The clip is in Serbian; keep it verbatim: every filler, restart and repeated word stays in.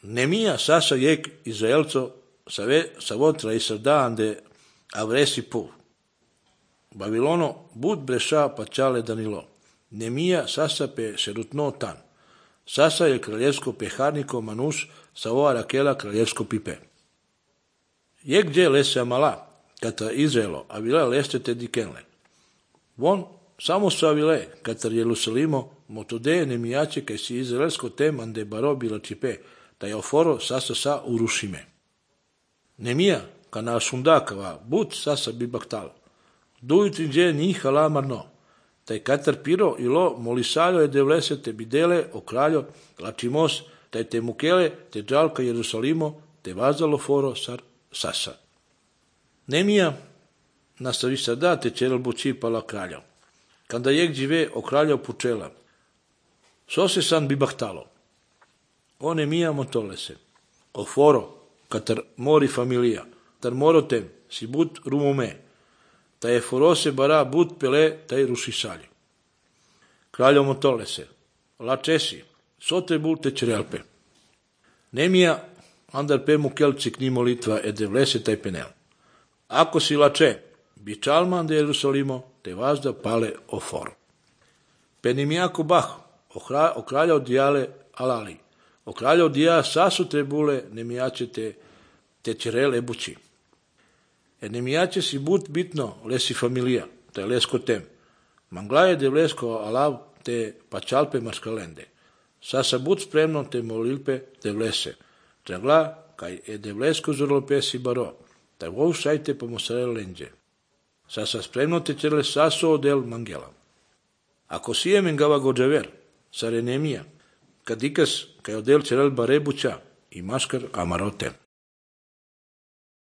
Nemia sasa jek Izraelco savot Israel ande avresi pu. Babilono bud bresha pachale Danilo. Nemia sasa pe šerutno tan. Sasa je kraljevsko peharniko Manuš savo Rakela kraljevsko pipe. Jek gdje lese amala, kata Izraelo, avila leste te dikenle. Von samo su avile, katar Jerusalimo, motode nemijače kaj si izraelsko tem ande baro bila čipe, ta je oforo sasa sa urušime. Nemija, kana sundakava, but sasa bi baktalo. Dujutri gdje njih alamarno, taj katar piro ilo molisaljo je devlese te bidele o kraljo lačimos, taj te mukele te džalka Jerusalimo te vazalo foro sar sasa. Nemija nastavi sada te čelel buči pala kralja. Kada jek žive o kralja pučela. So se san bi bahtalo. O Nemija motolese. O foro, katar mori familija, tar morotem si but rumume, ta je forose bara but pele taj rušisalji. Kraljo motolese. La česi, so te bulte čerelpe. Nemija andar pe mukelci kni molitva e devlese taj penel. Ako si lače, bi čalman de Jerusalimo, te vazda pale o foro. Penimijako bah, o kralja odijale alali, o kralja odija sasu trebule nemijače te, te čerele buči. E nemijače si but bitno lesi familija, te lesko tem. Manglaje de lesko alav te pačalpe maskalende. Sasa but spremno te molilpe de lese. Tragla kaj e de lesko zorlope si baro, te vov sajte pa mosare lenđe. Sasa spremno te čerele saso odel mangela. Ako si je mengava gođaver, sare Nemija, kad ikas kaj odel čerel barebuća i maskar amarote.